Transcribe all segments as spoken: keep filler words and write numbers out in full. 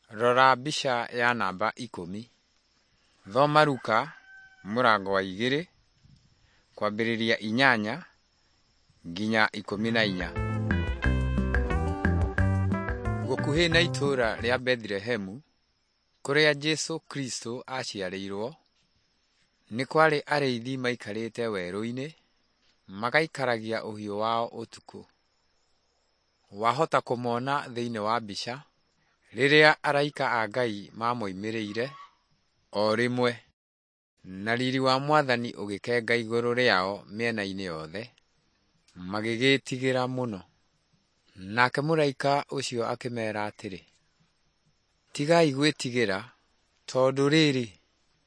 Rora mbica ya namba ikũmi. Thoma Luka mũrango wa igĩrĩ kwambĩrĩria inyanya nginya ikũmi na inya. Gũkuhĩ na itũũra rĩa Bethilehemu kũrĩa Jesũ Kristo aaciarĩirwo, nĩ kwarĩ arĩithi maikarĩte werũ-inĩ magaikaragia ũhiũ wao ũtukũ. Wahota kũmona thĩinĩ wa mbica rĩrĩa araika a Ngai mamoimĩrĩire o rĩmwe, na riri wa Mwathani ũgĩkenga igũrũ rĩao mĩena-inĩ yothe, magĩgĩĩtigĩra mũno. Nake mũraika ũcio akĩmeera atĩrĩ, “Tigai gwĩtigĩra, tondũ rĩrĩ,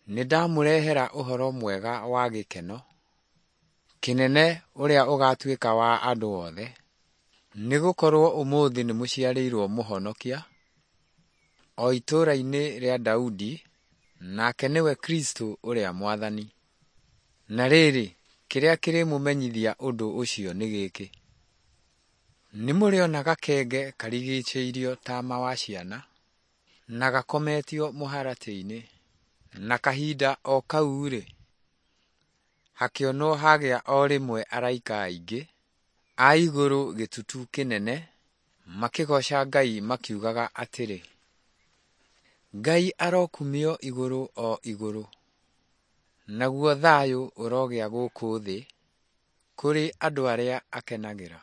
nĩndamũrehera ũhoro mwega wa gĩkeno kĩnene ũrĩa ũgaatuĩka wa andũ othe. Nĩgũkorwo ũmũthĩ nĩmũciarĩirwo Mũhonokia, o itũũra-inĩ rĩa Daudi, nake nĩwe Kristũ ũrĩa Mwathani. Na rĩrĩ, kĩrĩa kĩrĩmũmenyithia ũndũ ũcio nĩ gĩkĩ: Nĩmũrĩona gakenge karigicĩirio taama wa ciana, na gakometio mũharatĩ-inĩ.” Na kahinda o kau-rĩ, hakĩonwo hagĩa o rĩmwe araika aingĩ a igũrũ gĩtutu kĩnene makĩgooca Ngai makiugaga atĩrĩ, “Ngai arokumio igũrũ o igũrũ, naguo thayũ ũrogĩa gũkũ thĩ kũrĩ andũ arĩa akenagĩra.”